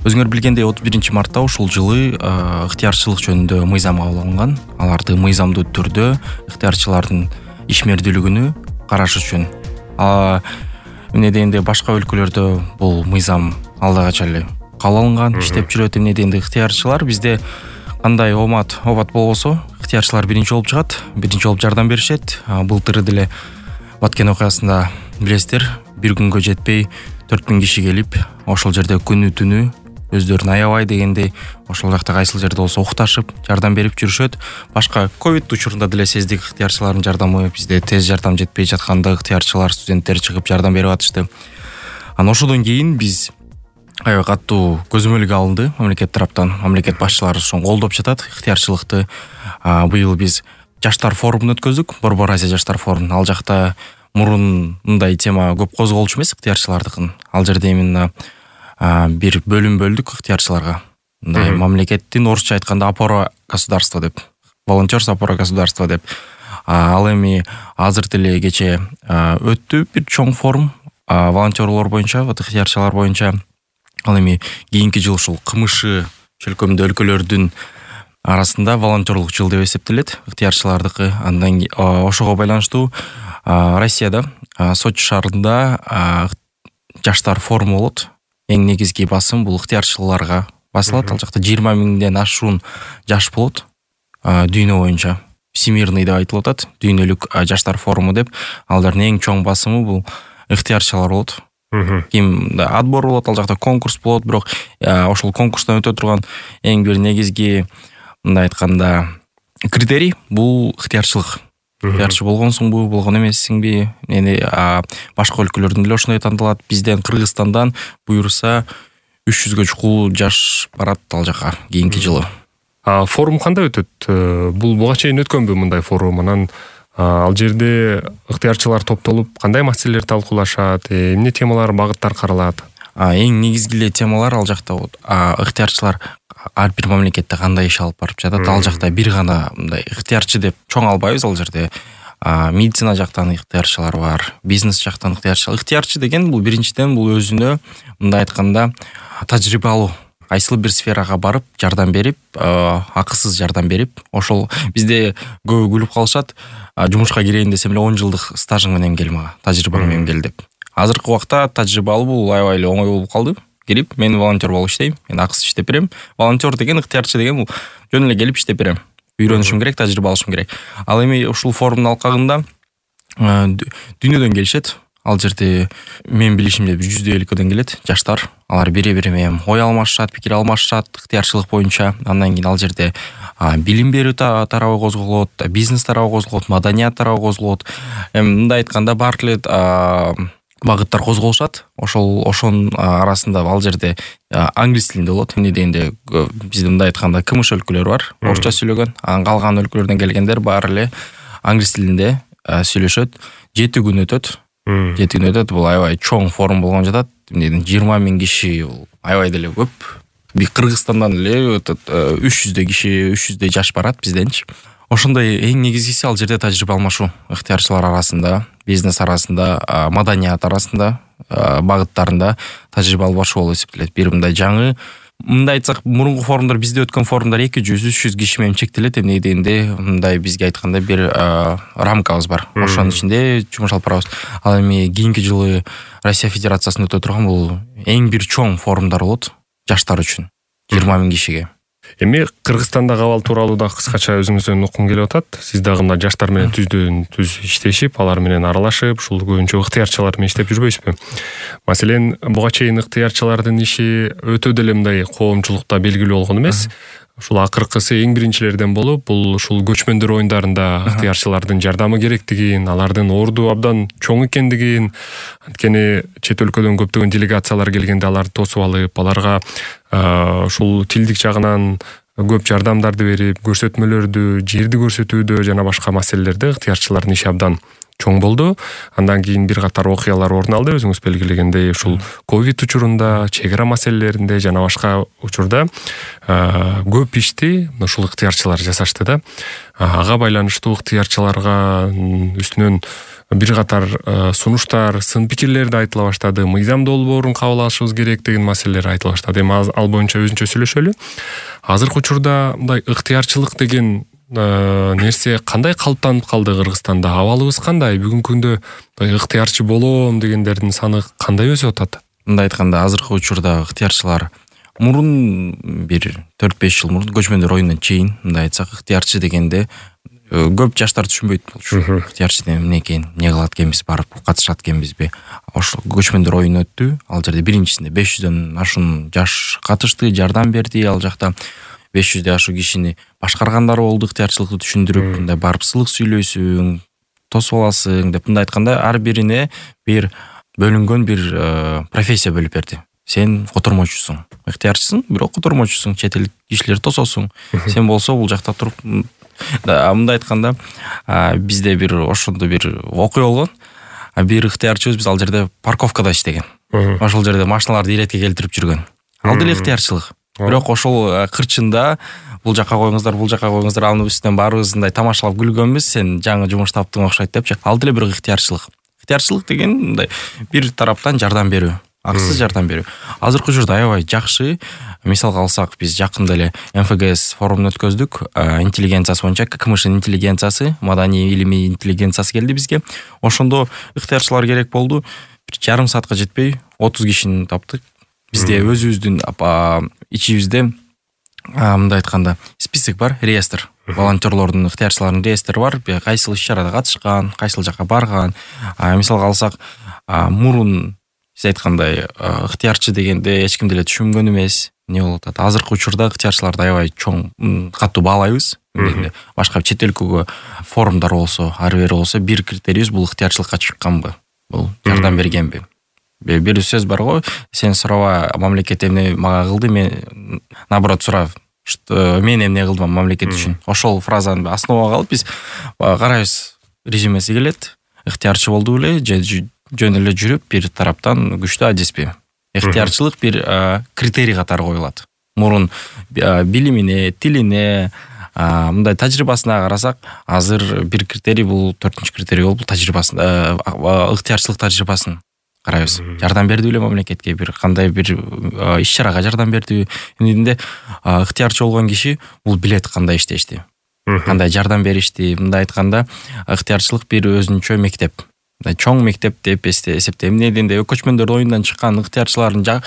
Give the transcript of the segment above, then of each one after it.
Өзүңөр билгендей 31 мартта ушул жылы ыктыярчылык жөнүндө мыйзам кабыл алынган. Аларды мыйзамдуу түрдө ыктыярчылардын ишмердүүлүгүнү караш үчүн. Эмне дегенде башка өлкөлөрдө бул мыйзам алдагача эле кабыл алынган, иштеп жүрөт. Эмне дегенде ыктыярчылар бизде кандай обат болбосо, ыктыярчылар биринчи болуп чыгат, биринчи болуп жардам беришет. Былтыр деле Баткен окуясында билесиздер, бир күнгө жетпей 4000 киши келип, ошол жерде күнү түнү өздөрүн аябай дегендей ошол жакта кайсыл жерде болсо укташып, жардам берип жүрүшөт. Башка ковид учурунда деле сездик ыктыярчылардын жардамы, бизде тез жардам жетпей жатканда ыктыярчылар, студенттер чыгып жардам берип атышты. Анан ошодон кийин биз аябай катуу көзөмөлгө алынды мамлекет тараптан. Мамлекет башчылары ошону колдоп жатат ыктыярчылыкты. Быйыл биз жаштар форумун өткөздүк, Борбор Азия жаштар форумун. Ал жакта мурун мындай тема көп козголчу эмес ыктыярчылардыкын. Ал жерде именно бир бөлүм бөлдүк ыктыярчыларга. Мындай мамлекеттин орусча айтканда опора государства деп, волонтерство опора государства деп. Ал эми азыр деле кече өттү бир чоң форум волонтерлор боюнча, ыктыярчылар боюнча. Ал эми кийинки жыл ушул КМШ чөлкөмдө өлкөлөрдүн арасында волонтерлук жыл деп эсептелет, ыктыярчылардыкы. Андан ошого байланыштуу Россияда Сочи шаарында жаштар форуму болот. Эң негизги басым бул ыктыярчыларга басылат. Ал жакта 20 000ден ашуун жаш болот дүйнө боюнча. Всемирный деп айтылып атат, дүйнөлүк жаштар форуму деп. Алардын эң чоң басымы бул ыктыярчылар болот. Ким отбор болот, ал жакта конкурс болот, бирок ошол конкурстан өтө турган эң бир негизги мындай айтканда критерий бул ыктыярчылык. Ыктыярчы болгонсуңбу, болгон эмессиңби? Башка өлкөлөрдөн деле ошондой тандалат. Бизден Кыргызстандан буюрса 300гө чукул жаш барат ал жака кийинки жылы. Форум кандай өтөт? Бул буга чейин өткөнбү мындай форум? Анан ал жерде ыктыярчылар топтолуп кандай маселелер талкуулашат, эмне темалар, багыттар каралат? Эң негизги темалар ал жакта ыктыярчылар ар бир мамлекетте кандай иш алып барып жатат. Ал жакта бир гана мындай ыктыярчы деп чоң албайбыз. Ал жерде медицина жактан ыктыярчылар бар, бизнес жактан ыктыярчылар. Ыктыярчы деген бул биринчиден бул өзүнө мындай айтканда тажрыйбалуу, кайсыл бир сферага барып жардам берип, акысыз жардам берип, ошол бизде көбү күлүп калышат, жумушка кирейин десем эле 10 жылдык стажың менен кел мага, тажрыйбаң менен кел деп. Азыркы убакта тажрыйбалуу бул аябай эле оңой болуп калды. Келип, мен волонтер болуп иштейм, мен акысыз иштеп берем. Волонтер деген, ыктыярчы деген бул жөн эле келип иштеп берем. Үйрөнүшүм керек, тажрыйба алышым керек. Ал эми ушул форумдун алкагында дүйнөдөн келишет. Ал жерде мен билишимде 100 өлкөдөн келет жаштар. Алар бири-бири менен ой алмашышат, пикир алмашышат ыктыярчылык боюнча. Андан кийин ал жерде билим берүү тарабы козголот, бизнес тарабы козголот, маданият тарабы козголот. Мындай айтканда бар эле багыттар козголушат. Ошонун арасында ал жерде англис тилинде болот. Эмне дегенде бизде мындай айтканда КМШ өлкөлөрү бар, орусча сүйлөгөн. Анан калган өлкөлөрдөн келгендер баары эле англис тилинде сүйлөшөт. 7 күн өтөт. 7 күн өтөт. Бул аябай чоң форум болгон жатат. 20 000 киши, аябай деле көп. Кыргызстандан эле 300 киши, 300 жаш барат бизденчи. Ошондой эң негизгиси ал жерде тажрыйба алмашуу. Ыктыярчылар арасында, бизнес арасында, маданият арасында, багыттарында тажрыйба алмашуу болуп эсептелет. Бир мындай жаңы, мындай айтсак, мурунку форумдар, бизде өткөн форумдар 200-300 киши менен чектелет. Эмне дегенде, мындай бизге айтканда бир рамкабыз бар. Ошонун ичинде жумуш алып барабыз. Ал эми кийинки жылы Россия Федерациясында өтө турган бул эң бир чоң форумдар болот жаштар үчүн. 20 000 кишиге. Эми Кыргызстандагы абал тууралуу да кыскача өзүңүздөн уккум келип атат. Сиз дагы мына жаштар менен түздөн-түз иштешип, алар менен аралашып, ушул көбүнчө ыктыярчылар менен иштеп жүрбөйсүзбү? Маселен, буга чейин ыктыярчылардын иши өтө деле мындай коомчулукта белгилүү болгон эмес. Ушул акыркысы эң биринчилерден болуп, бул ушул көчмөндөр оюндарында ыктыярчылардын жардамы керектигин, алардын орду абдан чоң экендигин, анткени чет өлкөдөн көптөгөн делегациялар келгенде аларды тосуп алып, аларга ушул тилдик жагынан көп жардамдарды берип, көрсөтмөлөрдү, жерди көрсөтүүдө жана башка маселелерде ыктыярчылардын иши абдан чоң болду. Андан кийин бир катар окуялар орун алды, өзүңүз белгилегендей, ушул ковид учурунда, чек ара маселелеринде жана башка учурда көп ишти ушул ыктыярчылар жасашты да. Ага байланыштуу ыктыярчыларга үстүнөн бир катар сунуштар, сын пикирлер да айтыла баштады. Мыйзам долбоорун кабыл алышыбыз керек деген маселелер айтыла баштады. Эми ал боюнча өзүнчө сөйлөшөлү. Азыркы учурда мындай ыктыярчылык деген нерсе кандай калыптанып калды Кыргызстанда? Абалыбыз кандай? Бүгүнкү күндө ыктыярчы болом дегендердин саны кандай өсүп атат? Мындай айтканда, азыркы учурда ыктыярчылар мурун бир 4-5 жыл мурун көчмөндөр оюндан чейин мындай айтсак, ыктыярчы дегенде көп жаштар түшүнбөйт болчу. Ыктыярчы эмне экен, эмне кылат экенбиз, барып катышат экенбизби? Ошо көчмөндөр оюн өттү. Ал жерде биринчисинде 500дөн ашуун жаш катышты, жардам берди. Ал жакта 500ден ашуун кишини башкаргандар болду, ыктыярчылыкты түшүндүрүп, мындай барып сылык сүйлөйсүң, тосуп аласың деп, мындай айтканда, ар бирине бир бөлүнгөн бир профессия бөлүп берди. Сен котормочусуң, ыктыярчысың, бирок котормочусуң, чет элдик кишилерди тососуң. Сен болсо бул жакта туруп, мындай айтканда, бизде бир ошондо бир окуя болгон. Бир ыктыярчыбыз, биз ал жерде парковкада иштеген. Ошол жерде машиналарды иретке келтирип жүргөн. Ал деле ыктыярчылык. Бирок ошол кырчында бул жака коюңуздар, бул жака коюңуздар, анын үстүнөн баарыбыз мындай тамашалап күлгөнбүз. Сен жаңы жумуш таптың окшойт депчи. Ал деле бир ыктыярчылык. Ыктыярчылык деген мындай бир тараптан жардам берүү, акысыз жардам берүү. Азыркы учурда аябай жакшы. Мисалга алсак, биз жакында эле МФГС форумун өткөздүк. Интеллигенциясы боюнча ККМШ интеллигенциясы, маданий илимий интеллигенциясы келди бизге. Ошондо ыктыярчылар керек болду. Бир жарым саатка жетпей 30 кишини таптык. Бизде өзүбүздүн ичибизде мындай айтканда список бар, реестр. Волонтерлордун, ыктыярчылардын реестри бар. Кайсыл иш-чарада катышкан, кайсыл жака барган. Мисалга алсак, мурун сиз айткандай ыктыярчы дегенде эч ким деле түшүнгөн эмес. Не болуп атат? Азыркы учурда ыктыярчыларды аябай чоң, катуу баалайбыз. Башка чет өлкөгө форумдар болсо, ары бери болсо, бир критерийибиз бул ыктыярчылыкка чыкканбы? Бул жардам бергенби? Бир сөз бар го, сен сураба мамлекет эмне мага кылды, мен наоборот сурап, что мен эмне кылдым мамлекет үчүн. Ошол фразаны основага алып биз карайбыз, резюмеси келет. Ыктыярчы болду беле, же жөн эле жүрүп бир тараптан күчтүү адеспи. Ыктыярчылык бир критерий катары коюлат. Мурун билимине, тилине, мындай тажрыйбасына карасак, азыр бир критерий, бул 4-нчү критерий болуп, тажрыйбасын, ыктыярчылык тажрыйбасын карайбыз. Жардам берди беле мамлекетке, бир кандай бир иш-чарага жардам берди. Эмнединде ыктыярчы болгон киши бул билет кандай иштешти, кандай жардам беришти. Мындай айтканда, ыктыярчылык бир өзүнчө мектеп. Чоң мектеп деп эсептейм. Эмнединде көчмөндөр оюндан чыккан ыктыярчылардын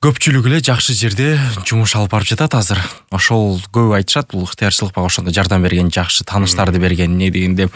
көпчүлүгү эле жакшы жерде жумуш алып барып жатат азыр. Ошол көп айтышат, бул ыктыярчылыкка ошондо жардам берген, жакшы тааныштарды берген. Эмне дегенде,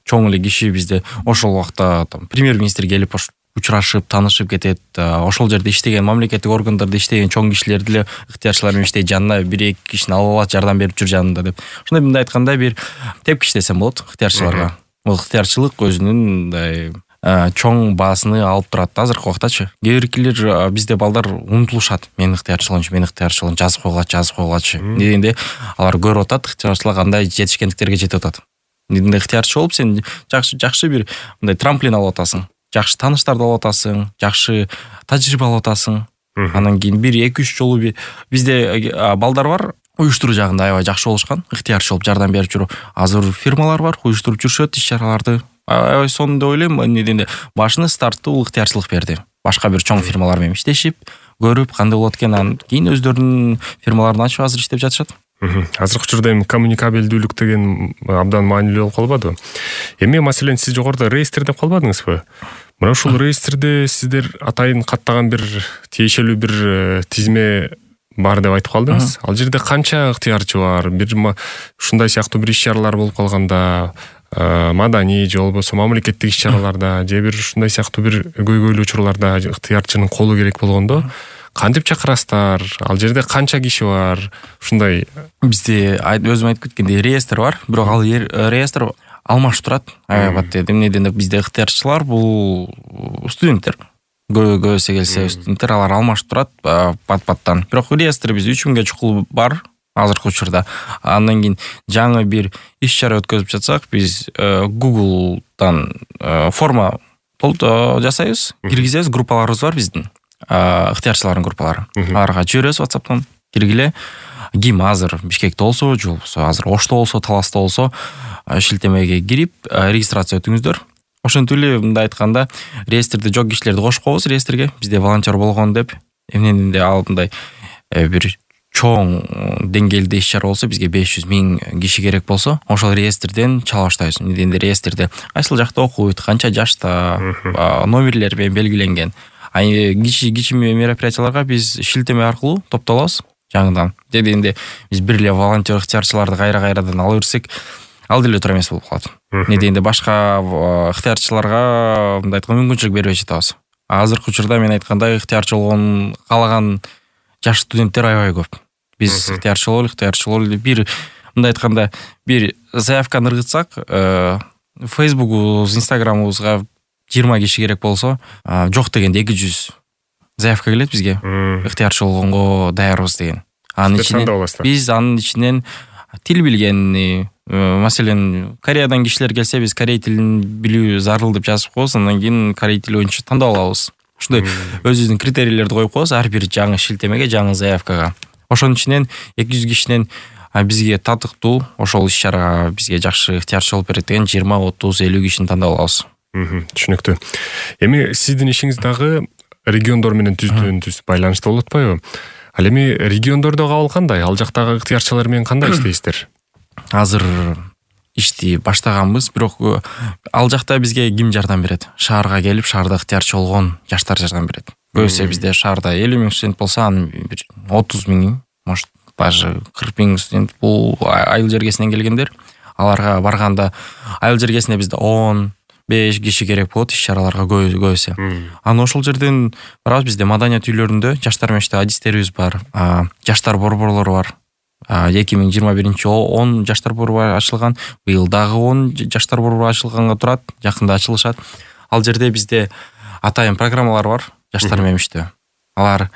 чоң эле киши бизде ошол убакта премьер-министр келип учурашып, таанышып кетет. Ошол жерде иштеген, мамлекеттик органдарда иштеген чоң кишилер деле ыктыярчылар менен иштейт, жанына 1-2 кишини алып алат, жардам берип жүр жанында деп. Ошондой мындай айтканда бир тепкич десем болот ыктыярчыларга. Бул ыктыярчылык өзүнүн мындай чоң баасыны алып турат азыркы убактачы. Кээ биркилер бизде балдар унутулушат. Мен ыктыярчы болчу, жазып койгулачы. Дегенде алар көрүп атат ыктыярчылар кандай жетишкендиктерге жетип атат. Дегенде ыктыярчы болуп сен жакшы бир мындай трамплин алып атасың. Жакшы тааныштарды алып атасың, жакшы тажрыйба алып атасың. Анан кийин 1-2-3 жолу бизде балдар бар, уюштуруу жагында аябай жакшы болушкан, ыктыярчы болуп жардам берип жүрүп. Азыр фирмалар бар, уюштуруп жүрүшөт иш-чараларды. Аябай сонун деп ойлойм. Эмнеден башыны стартты бул ыктыярчылык берди. Башка бир чоң фирмалар менен иштешип, көрүп кандай болот экен, анан кийин өздөрүнүн фирмаларын ачып азыр иштеп жатышат. Азыркы учурда эми коммуникабелдүүлүк деген абдан маанилүү болуп калбадыбы? Эми маселен сиз жогоруда реестр деп калбадыңызбы? Мына ушул реестрде сиздер атайын каттаган бир тиешелүү бир тизме бар деп айтып калдыңыз. Ал жерде канча ыктыярчы бар? Бир ушундай сыяктуу бир иш-чаралар болуп калганда, маданий же болбосо мамлекеттик иш-чараларда, же бир ушундай сыяктуу бир көйгөйлүү учурларда ыктыярчынын колу керек болгондо кантип чакырасыздар? Ал жерде канча киши бар? Ушундай бизде өзүм айтып кеткендей реестр бар, бирок ал реестр алмашып турат. Эмнеден бизде ыктыярчылар бул студенттер. Көбөсү келсе студенттер, алар алмашып турат пат-паттан. Бирок реестр бизде 3000ге чукул бар. азыркы учурда. Андан кийин жаңы бир иш-чара өткөзүп жатсак, биз Google'дан форма жасайбыз, киргизебиз, группаларыбыз бар биздин, ыктыярчылардын группалары. Аларга жиберебиз WhatsApp'тан, киргиле. Ким азыр Бишкекте болсо, же болбосо азыр Ошто болсо, Таласта болсо, шилтемеге кирип, регистрация өтүңүздөр. Ошентип эле мындай айтканда, реестрде жок кишилерди кошуп коебуз реестрге, бизде волонтер болгон деп. Эмнеден ал мындай бир чоң деңгээлде иш-чара болсо, бизге 500,000 киши керек болсо, ошол реестрден чала баштайбыз. Эмнеден реестрде кайсыл жакта окуйт, канча жашта, номерлер менен белгиленген. Кичи мероприятияларга биз шилтеме аркылуу топтолобуз жаңыдан. Дегенде биз бир эле волонтер ыктыярчыларды кайра-кайрадан ала берсек, ал деле туура эмес болуп калат. Недегенде башка ыктыярчыларга мындай айтканда мүмкүнчүлүк бербей жатабыз. Азыркы учурда мен айткандай ыктыярчы болгон каалаган жаш студенттер аябай көп. Биз ыктыярчы бололу, бир мындай айтканда бир заявканы ыргытсак, Facebook'убуз, Instagram'ыбызга 20 киши керек болсо, жок дегенде 200 заявка келет бизге. Ыктыярчы болгонго даярбыз деген. Анын ичинен биз анын ичинен тил билгенни, маселен, Кореядан кишилер келсе, биз корей тилин билүү зарыл деп жазып коебуз, андан кийин корей тили боюнча тандап алабыз. Ушундай өзүбүздүн критерийлерди коюп коебуз ар бир жаңы шилтемеге, жаңы заявкага. Ошонун ичинен 200 кишинен бизге татыктуу, ошол иш-чарага бизге жакшы ыктыярчы болуп берет деген 20, 30, 50 кишини тандап алабыз. Түшүнүктүү. Эми сиздин ишиңиз дагы региондор менен түздөн-түз байланышта болуп атпайбы? Ал эми региондордо кабыл кандай? Ал жактагы ыктыярчылар менен кандай иштейсиздер? Азыр ишти баштаганбыз, бирок ал жакта бизге ким жардам берет? Шаарга келип, шаарда ыктыярчы болгон жаштар жардам берет. Көбүсү бизде шаарда 50,000 студент болсо, анын бир 30,000, может, даже 40,000 студент бул айыл жергесинен келгендер. Аларга барганда айыл жергесине бизде 10-5 киши керек болот иш-чараларга көбүсү. Аны ошол жерден барабыз. Бизде маданият үйлөрүндө жаштар менен адистерибиз бар, жаштар борборлору бар. 2021-жылы 10 жаштар борбору ачылган, быйыл дагы 10 жаштар борбору ачылганга турат, жакында ачылышат. Ал жерде бизде атайын программалар бар жаштар менен иштөө. Алар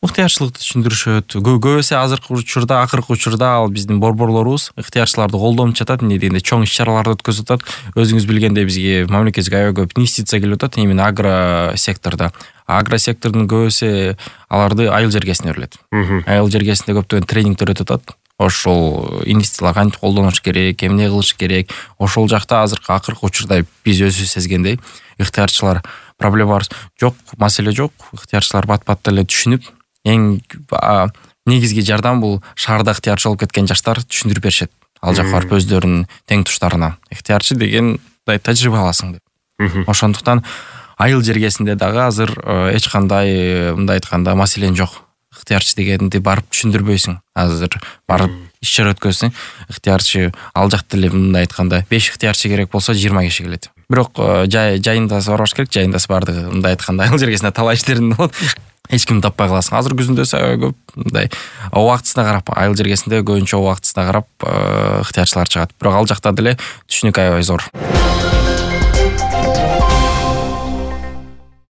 ыктыярчылыкты түшүндүрүшөт. Көбүсү азыркы учурда, акыркы учурда ал биздин борборлорубуз ыктыярчыларды колдонуп жатат, эмне дегенде чоң иш-чараларды өткөзүп атат. Өзүңүз билгендей бизге мамлекетке аябай көп инвестиция келип атат, именно агро сектордо. Агро сектордун көбүсү аларды айыл жергесине берилет. Айыл жергесинде көптөгөн тренингдер өтүп атат. Ошол инвестициялар кантип колдонуш керек, эмне кылыш керек. Ошол жакта азыркы акыркы учурда биз өзүбүз сезгендей ыктыярчылар проблема жок, маселе жок. Ыктыярчылар бат-бат эле түшүнүп, эң негизги жардам бул шаарда ыктыярчы болуп кеткен жаштар түшүндүрүп беришет. Ал жакка барып өздөрүнүн тең туштарына. Ыктыярчы деген тажрыйба аласың деп. Ошондуктан айыл жергесинде дагы азыр эч кандай мындай айтканда маселен жок. Ыктыярчы дегенди барып түшүндүрбөйсүң. Азыр барып иш-чара өткөзсөң, ыктыярчы ал жакта эле мындай айтканда 5 ыктыярчы керек болсо 20 киши келет. Бирок жайында барбаш керек, жайында бардыгы мындай айтканда айыл жергесинде талай иштерин болот. Эч кимди таппай каласың. Азыр күзүндө көп мындай убактысына карап, айыл жергесинде көбүнчө убактысына карап ыктыярчылар чыгат. Бирок ал жакта деле түшүнүк аябай зор.